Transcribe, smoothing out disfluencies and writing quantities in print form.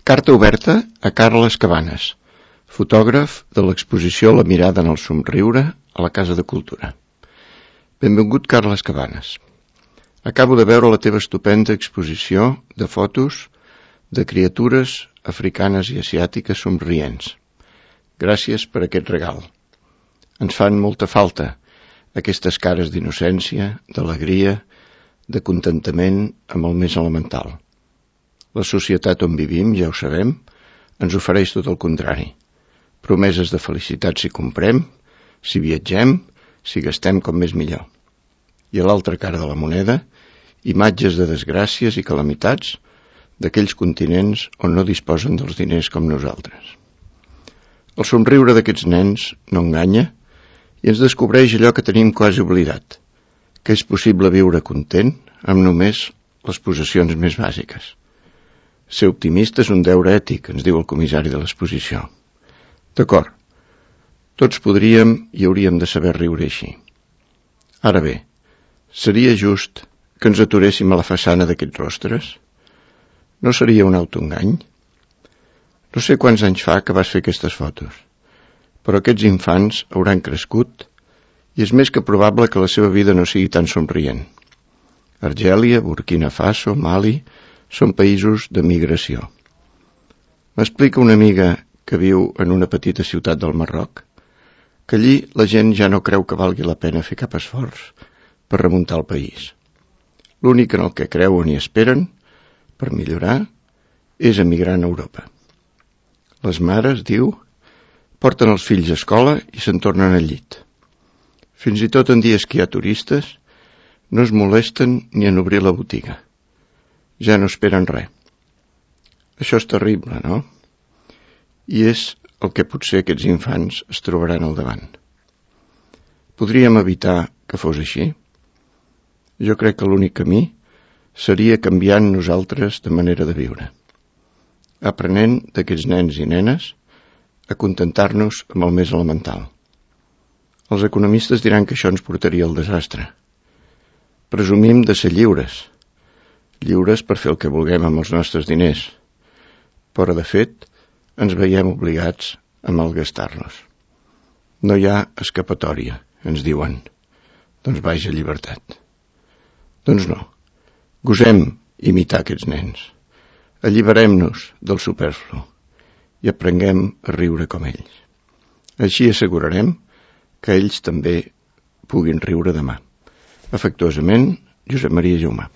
Carta oberta a Carles Cabanes, fotògraf de l'exposició La mirada en el somriure a la Casa de Cultura. Benvingut, Carles Cabanes. Acabo de veure la teva estupenda exposició de fotos de criatures africanes i asiàtiques somrients. Gràcies per aquest regal. Ens fan molta falta aquestes cares d'innocència, d'alegria, de contentament amb el més elemental. La societat on vivim, ja ho sabem, ens ofereix tot el contrari. Promeses de felicitat si comprem, si viatgem, si gastem com més millor. I a l'altra cara de la moneda, imatges de desgràcies i calamitats d'aquells continents on no disposen dels diners com nosaltres. El somriure d'aquests nens no enganya i ens descobreix allò que tenim quasi oblidat, que és possible viure content amb només les possessions més bàsiques. Ser optimista és un deure ètic, ens diu el comissari de l'exposició. D'acord, tots podríem i hauríem de saber riure així. Ara bé, seria just que ens aturéssim a la façana d'aquests rostres? No seria un autoengany? No sé quants anys fa que vas fer aquestes fotos, però aquests infants hauran crescut i és més que probable que la seva vida no sigui tan somrient. Argèlia, Burkina Faso, Mali són països de migració. M'explica una amiga que viu en una petita ciutat del Marroc que allí la gent ja no creu que valgui la pena fer cap esforç per remuntar el país. L'únic en el que creuen i esperen per millorar és emigrar a Europa. Les mares, diu, porten els fills a escola i se'n tornen al llit. Fins i tot en dies que hi ha turistes no es molesten ni en obrir la botiga. Ja no esperen res. Això és terrible, no? I és el que potser aquests infants es trobaran al davant. Podríem evitar que fos així? Jo crec que l'únic camí seria canviant nosaltres de manera de viure, aprenent d'aquests nens i nenes a contentar-nos amb el més elemental. Els economistes diran que això ens portaria al desastre. Presumim de ser lliures per fer el que vulguem amb els nostres diners, però de fet ens veiem obligats a malgastar-los. No hi ha escapatòria, ens diuen. Doncs vaja llibertat. Doncs no, gosem imitar aquests nens, alliberem-nos del superflu i aprenguem a riure com ells. Així assegurarem que ells també puguin riure demà. Afectuosament, Josep Maria Jaumà.